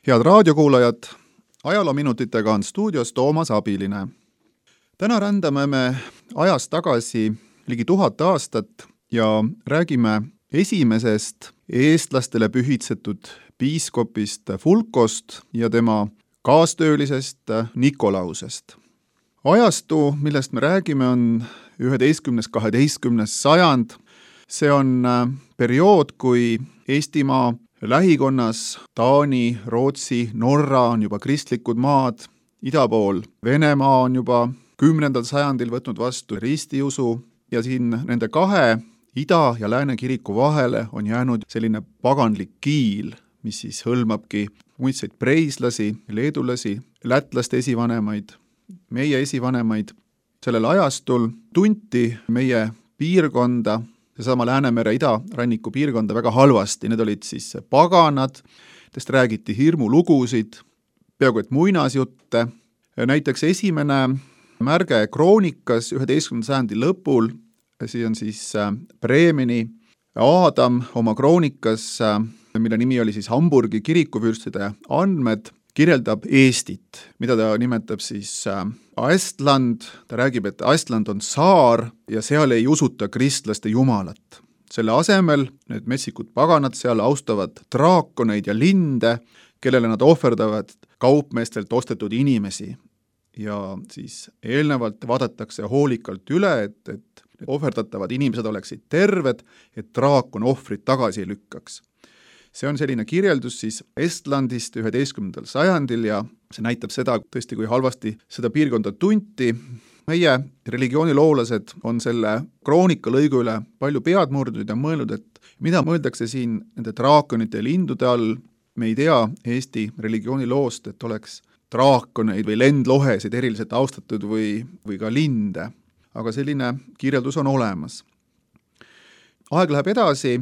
Head raadiokuulajad, ajaloominutitega on stuudios Toomas Abiline. Täna rändame me ajas tagasi ligi 1000 aastat ja räägime esimesest eestlastele pühitsetud piiskopist Fulkost ja tema kaastöölisest Nikolausest. Ajastu, millest me räägime, on 11.–12. sajand. See on periood, kui Eestimaa lähikonnas Taani, Rootsi, Norra on juba kristlikud maad, ida pool Venemaa on juba 10. sajandil võtnud vastu ristiusu ja siin nende kahe ida- ja lääne kiriku vahele on jäänud selline paganlik kiil, mis siis hõlmabki muidseid preislasi, leedulasi, lätlaste esivanemaid, meie esivanemaid. Sellel ajastul tunti meie piirkonda, seesama Läänemere idaranniku piirkonda väga halvasti. Need olid siis paganad, nendest räägiti hirmulugusid, peaaegu et muinasjutte. Näiteks esimene märge kroonikas 11. sajandi lõpul, see on siis Bremeni Aadam oma kroonikas, mille nimi oli siis Hamburgi kirikuvürstide andmed, kirjeldab Eestit, mida ta nimetab siis Estland. Ta räägib, et Estland on saar ja seal ei usuta kristlaste jumalat. Selle asemel need metsikud paganad seal austavad draakoneid ja linde, kellele nad ohverdavad kaupmeestelt ostetud inimesi. Ja siis eelnevalt vaadatakse hoolikalt üle, et ohverdatavad inimesed oleksid terved, et draakon ohvrit tagasi ei lükkaks. See on selline kirjeldus siis Estlandist 11. sajandil ja see näitab seda tõesti, kui halvasti seda piirkonda tunti. Meie religiooniloolased on selle kroonika lõigu üle palju pead murdnud ja mõelnud, et mida mõeldakse siin nende draakonite ja lindude all. Me ei tea Eesti religiooniloost, et oleks draakoneid või lendlohesid eriliselt austatud või ka linde, aga selline kirjeldus on olemas. Aeg läheb edasi,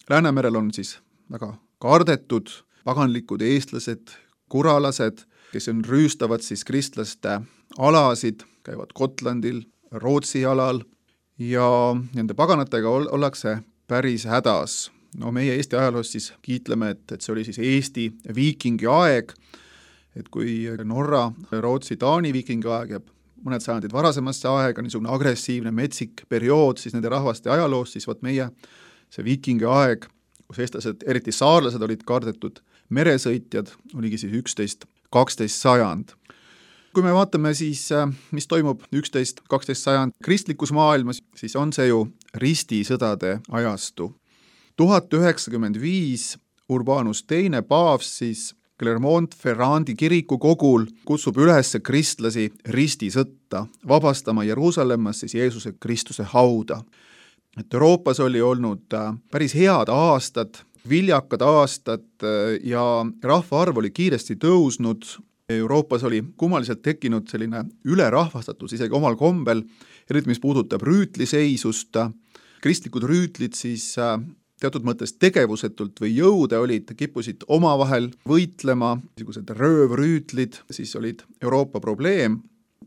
Läänemerel on siis väga kardetud paganlikud eestlased, kuralased, kes rüüstavad siis kristlaste alasid, käivad Gotlandil, Rootsi alal ja nende paganatega ollakse päris hädas. No meie Eesti ajaloos siis kiitleme, et see oli siis Eesti viikingi aeg, et kui Norra, Rootsi, Taani viikingi aeg jääb mõned sajandid varasemasse aega, niisugune agressiivne metsik periood siis nende rahvaste ajaloos, siis võt meie see viikingi aeg, kus eestlased, eriti saarlased olid kardetud meresõitjad, oligi siis 11–12 sajand. Kui me vaatame siis, mis toimub 11–12 sajand kristlikus maailmas, siis on see ju ristisõdade ajastu. 1095 Urbanus II paavs siis Clermont-Ferrandi kiriku kogul kutsub üles kristlasi ristisõtta, vabastama Jeruusalemmas siis Jeesuse Kristuse hauda. Et Euroopas oli olnud päris head aastad, viljakad aastad ja rahvaarv oli kiiresti tõusnud. Euroopas oli kummaliselt tekkinud selline ülerahvastatus isegi omal kombel, eriti mis puudutab rüütliseisust. Kristlikud rüütlid siis teatud mõttes tegevusetult või jõude olid, kippusid omavahel võitlema, niisugused röövrüütlid, siis olid Euroopa probleem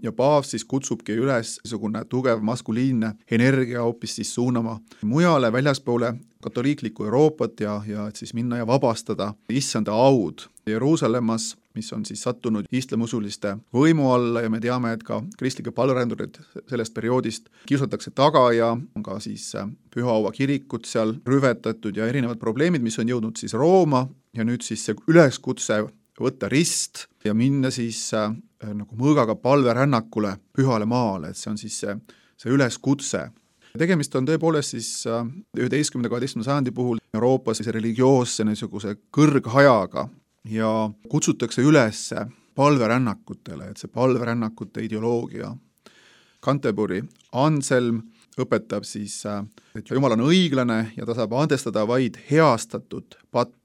ja paavs siis kutsubki üles niisugune tugev maskuliinne energia hoopis siis suunama mujale väljaspoole katoliiklikku Euroopat ja et siis minna ja vabastada issanda aud Jeruusalemmas, mis on siis sattunud islamiusuliste võimu alla ja me teame, et ka kristlikke palverändurid sellest perioodist kiusatakse taga ja on ka siis Pühaua kirikut seal rüvetatud ja erinevad probleemid, mis on jõudnud siis Rooma ja nüüd siis see üleskutse võtta rist ja minna siis nagu mõõgaga palverännakule pühale maale, et see on siis see üleskutse. Tegemist on tõepoolest siis 11.–12. sajandi puhul Euroopas religioosse niisuguse kõrghajaga ja kutsutakse üles palverännakutele, et see palverännakute ideoloogia. Canterbury Anselm õpetab siis, et Jumal on õiglane ja ta saab andestada vaid heastatud pattu.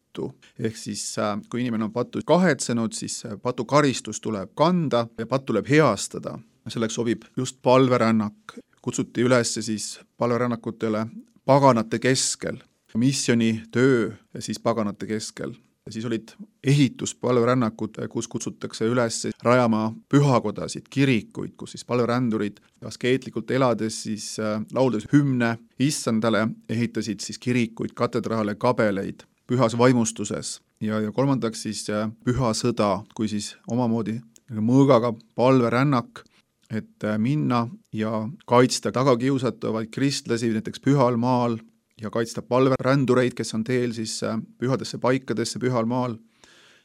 Ehk siis, kui inimene on pattu kahetsenud, siis patu karistus tuleb kanda ja patt tuleb heastada. Selleks sobib just palverännak. Kutsuti üles siis palverännakutele paganate keskel, missiooni töö siis paganate keskel. Ja siis olid ehituspalverännakud, kus kutsutakse üles rajama pühakodasid, kirikuid, kus siis palverändurid askeetlikult elades siis lauldes hümne issandale ehitasid siis kirikuid, katedraale, kabeleid pühas vaimustuses. ja kolmandaks siis püha sõda, kui siis omamoodi mõõgaga palverännak, et minna ja kaitsta tagakiusatavaid kristlasi näiteks Pühal maal ja kaitsta palverändureid, kes on teel siis pühadesse paikadesse Pühal maal.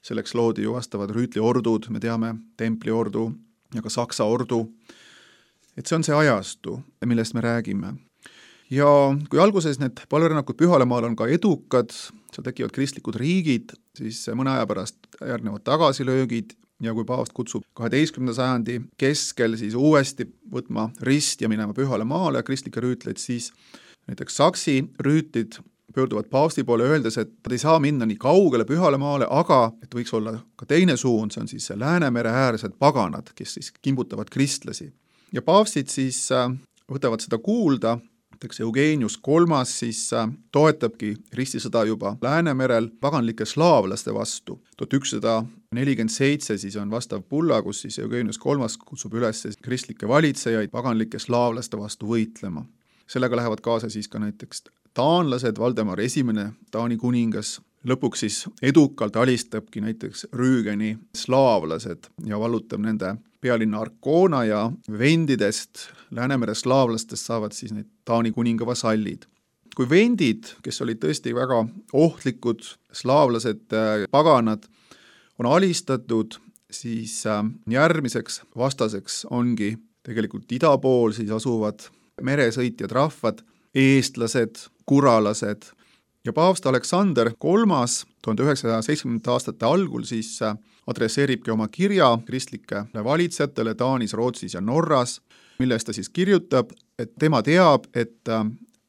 Selleks loodi ju vastavad rüütliordud, me teame, templiordu ja ka Saksa ordu. Et see on see ajastu, millest me räägime. Ja kui alguses need palverännakud Pühale maal on ka edukad, seal tekivad kristlikud riigid, siis mõne aja pärast järgnevad tagasilöögid ja kui paavst kutsub 12. sajandi keskel siis uuesti võtma rist ja minema Pühale maale kristlikke rüütleid, siis näiteks Saksi rüütlid pöörduvad paavsti poole öeldes, et nad ei saa minna nii kaugele Pühale maale, aga et võiks olla ka teine suund, see on siis Läänemere äärsed paganad, kes siis kimbutavad kristlasi. Ja paavstid siis võtavad seda kuulda, näiteks Eugenius III siis toetabki ristisõda juba Läänemerel paganlike slaavlaste vastu. 1147 siis on vastav bulla, kus siis Eugenius III kutsub üles kristlikke valitsejaid paganlike slaavlaste vastu võitlema. Sellega lähevad kaasa siis ka näiteks taanlased, Valdemar I, Taani kuningas, lõpuks siis edukalt alistabki näiteks Rüügeni slaavlased ja vallutab nende pealinna Arkona ja vendidest, Läänemere slaavlastest saavad siis need Taani kuninga vasallid. Kui vendid, kes olid tõesti väga ohtlikud slaavlased, paganad, on alistatud, siis järgmiseks vastaseks ongi tegelikult ida pool siis asuvad meresõitjad rahvad, eestlased, kuralased ja paavst Aleksander III 1970. aastate algul siis adresseeribki oma kirja kristlikele valitsejatele Taanis, Rootsis ja Norras, milles ta siis kirjutab, et tema teab, et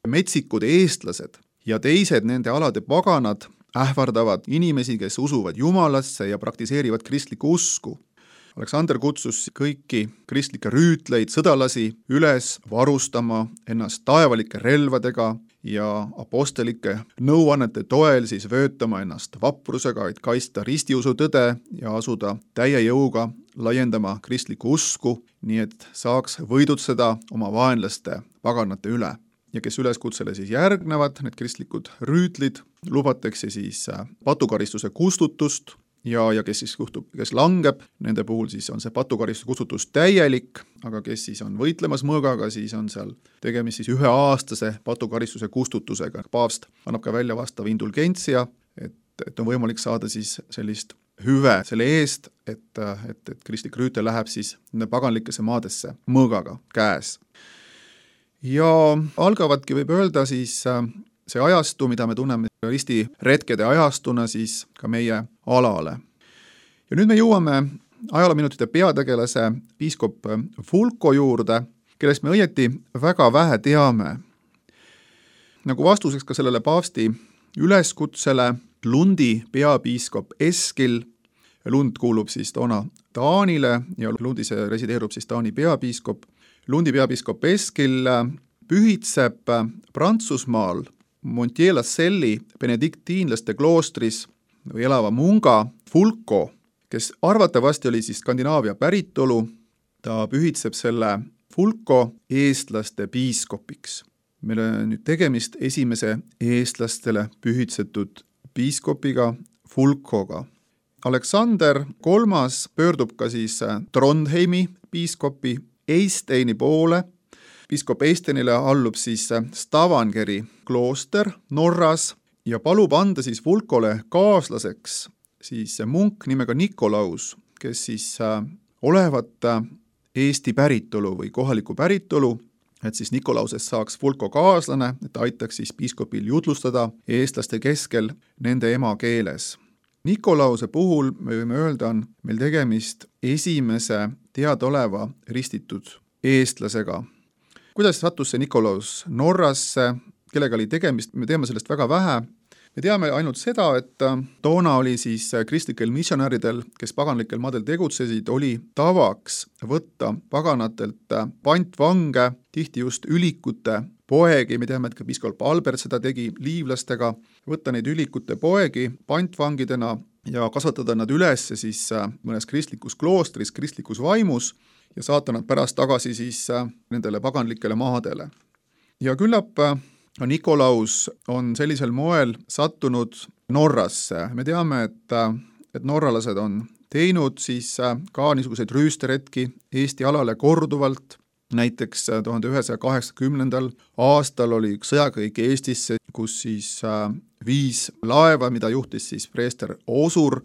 metsikud eestlased ja teised nende alade paganad ähvardavad inimesi, kes usuvad Jumalasse ja praktiseerivad kristlikku usku. Aleksander kutsus kõiki kristlikke rüütleid, sõdalasi üles varustama ennast taevalike relvadega ja apostelike nõuannete toel siis vöötama ennast vaprusega, et kaitsta ristiusu tõde ja asuda täie jõuga laiendama kristlikku usku, nii et saaks võidutseda oma vaenlaste paganate üle. Ja kes üleskutsele siis järgnevad, need kristlikud rüütlid, lubatakse siis patukaristuse kustutust ja kes siis kes langeb, nende puhul siis on see patukaristuse kustutus täielik, aga kes siis on võitlemas mõõgaga, siis on seal tegemist siis 1-aastase patukaristuse kustutusega. Paavst annab ka välja vastav indulgentsia, et on võimalik saada siis sellist hüve selle eest, et kristlik rüütel läheb siis paganlikesse maadesse mõõgaga käes. Ja algavadki võib öelda siis see ajastu, mida me tunneme ristiretkede ajastuna siis ka meie alale. Ja nüüd me jõuame ajaloominutite peategelase piiskop Fulko juurde, kellest me õieti väga vähe teame. Nagu vastuseks ka sellele paavsti üleskutsele Lundi peapiiskop Eskil, Lund kuulub siis toona Taanile ja Lundis resideerub siis Taani peapiiskop, Lundi peapiiskop Eskil pühitseb Prantsusmaal Montier-la-Celle'i benediktiinlaste kloostris või elava munga Fulko, kes arvatavasti oli siis Skandinaavia päritolu, ta pühitseb selle Fulko eestlaste piiskopiks. Meil on nüüd tegemist esimese eestlastele pühitsetud piiskopiga Fulkoga. Aleksander III pöördub ka siis Trondheimi piiskopi Eysteini poole. Piiskop Eysteinile allub siis Stavangeri klooster Norras ja palub anda siis Fulkole kaaslaseks siis munk nimega Nikolaus, kes siis olevat Eesti päritolu või kohaliku päritolu, et siis Nikolausest saaks Fulko kaaslane, et aitaks siis piiskopil jutlustada eestlaste keskel nende emakeeles. Nikolause puhul me võime öelda, on meil tegemist esimese teadaoleva ristitud eestlasega. Kuidas sattus see Nikolaus Norrasse, kellega oli tegemist, me teame sellest väga vähe. Me teame ainult seda, et toona oli siis kristlikel missionäridel, kes paganlikel maadel tegutsesid, oli tavaks võtta paganatelt pantvange, tihti just ülikute poegi, me teame, et ka piiskop Albert seda tegi liivlastega, võtta neid ülikute poegi pantvangidena ja kasvatada nad üles siis mõnes kristlikus kloostris, kristlikus vaimus ja saata nad pärast tagasi siis nendele paganlikele maadele. Ja küllap Nikolaus on sellisel moel sattunud Norrasse. Me teame, et norralased on teinud siis ka niisuguseid rüüsteretki Eesti alale korduvalt. Näiteks 1980. aastal oli üks sõjakõik Eestisse, kus siis 5 laeva, mida juhtis siis preester Osur,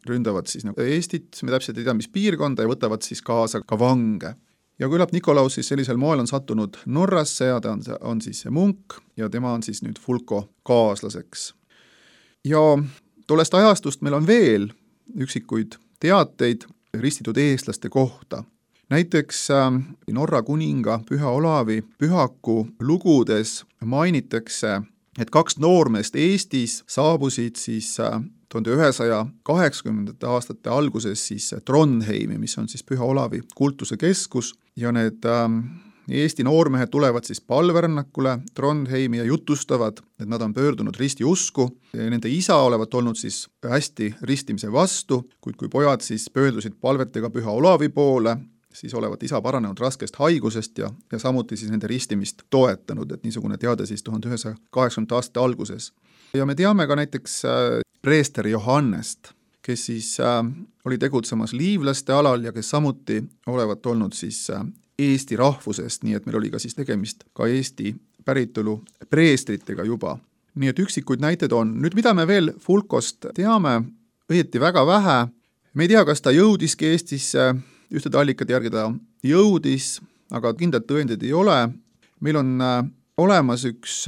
ründavad siis Eestit, me täpselt ei tea, mis piirkonda, ja võtavad siis kaasa ka vange. Ja küllap Nikolaus siis sellisel moel on sattunud Norrasse ja ta on siis see munk ja tema on siis nüüd Fulko kaaslaseks. Ja tollest ajastust meil on veel üksikuid teateid ristitud eestlaste kohta. Näiteks Norra kuninga Püha Olavi pühaku lugudes mainitakse, et 2 noormeest Eestis saabusid siis 1980. aastate alguses siis Trondheimi, mis on siis Püha Olavi kultuse keskus, ja need Eesti noormehed tulevad siis palverännakule Trondheimi ja jutustavad, et nad on pöördunud ristiusku. Nende isa olevat olnud siis hästi ristimise vastu, kuid kui pojad siis pöördusid palvetega Püha Olavi poole, siis olevat isa paranenud raskest haigusest ja samuti siis nende ristimist toetanud, et niisugune teade siis 1980. aastate alguses. Ja me teame ka näiteks preester Johannest, kes siis oli tegutsemas liivlaste alal ja kes samuti olevat olnud siis Eesti rahvusest, nii et meil oli ka siis tegemist ka Eesti päritolu preestritega juba. Nii et üksikuid näited on. Nüüd, mida me veel Fulkost teame, õieti väga vähe. Me ei tea, kas ta jõudiski Eestisse, ühtede allikate järgi ta jõudis, aga kindlad tõendid ei ole. Meil on olemas üks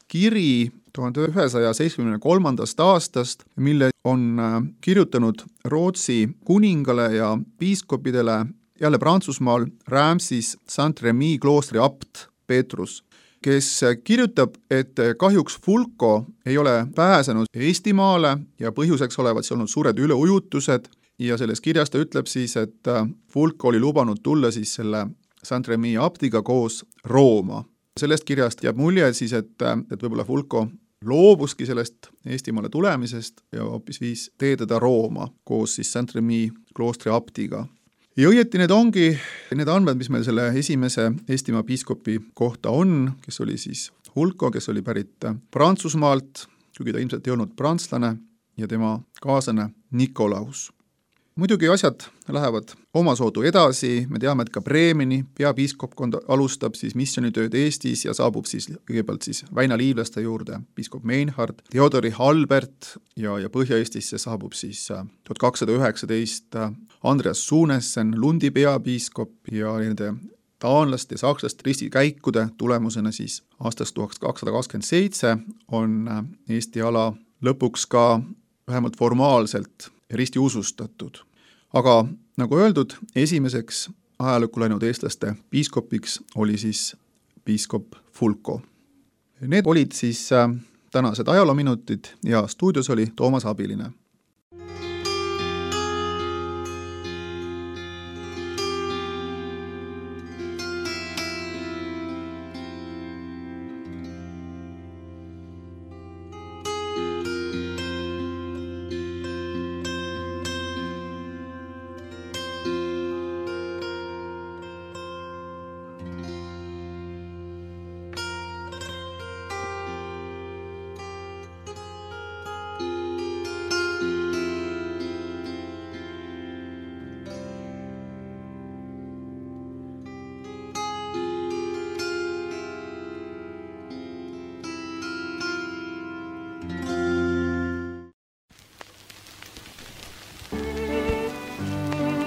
kiri 1973. aastast, mille on kirjutanud Rootsi kuningale ja piiskopidele jälle Prantsusmaal Reims Saint-Remy kloostri abt Petrus, kes kirjutab, et kahjuks Fulko ei ole pääsenud Eestimaale ja põhjuseks olevat see olnud suured üleujutused ja selles kirjas ta ütleb siis, et Fulko oli lubanud tulla siis selle Saint-Remy abtiga koos Rooma. Sellest kirjast jääb mulje siis, et võib-olla Fulko loobuski sellest Eestimaale tulemisest ja hoopis viis teededa Rooma koos siis Saint-Remy kloostri abtiga. Ja õieti need ongi need andmed, mis meil selle esimese Eestimaa piiskopi kohta on, kes oli siis Fulko, kes oli pärit Prantsusmaalt, kuigi ta ilmselt ei olnud prantslane, ja tema kaaslane Nikolaus. Muidugi asjad lähevad omasoodu edasi, me teame, et ka Bremeni peapiiskopkond alustab siis missioonitööd Eestis ja saabub siis kõigepealt siis Väina liivlaste juurde piiskop Meinhard, Theodori Halbert ja Põhja-Eestisse saabub siis 1219 Andreas Suunessen, Lundi peapiiskop ja nende taanlaste ja sakslaste ristikäikude tulemusena siis aastast 1227 on Eesti ala lõpuks ka vähemalt formaalselt ristiusustatud. Aga nagu öeldud, esimeseks ajalukku läinud eestlaste piiskopiks oli siis piiskop Fulko. Need olid siis tänased ajaloominutid ja stuudios oli Toomas Abiline.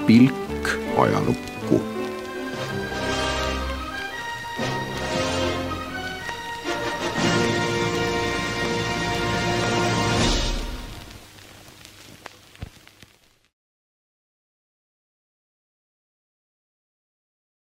Pilk ajalukku.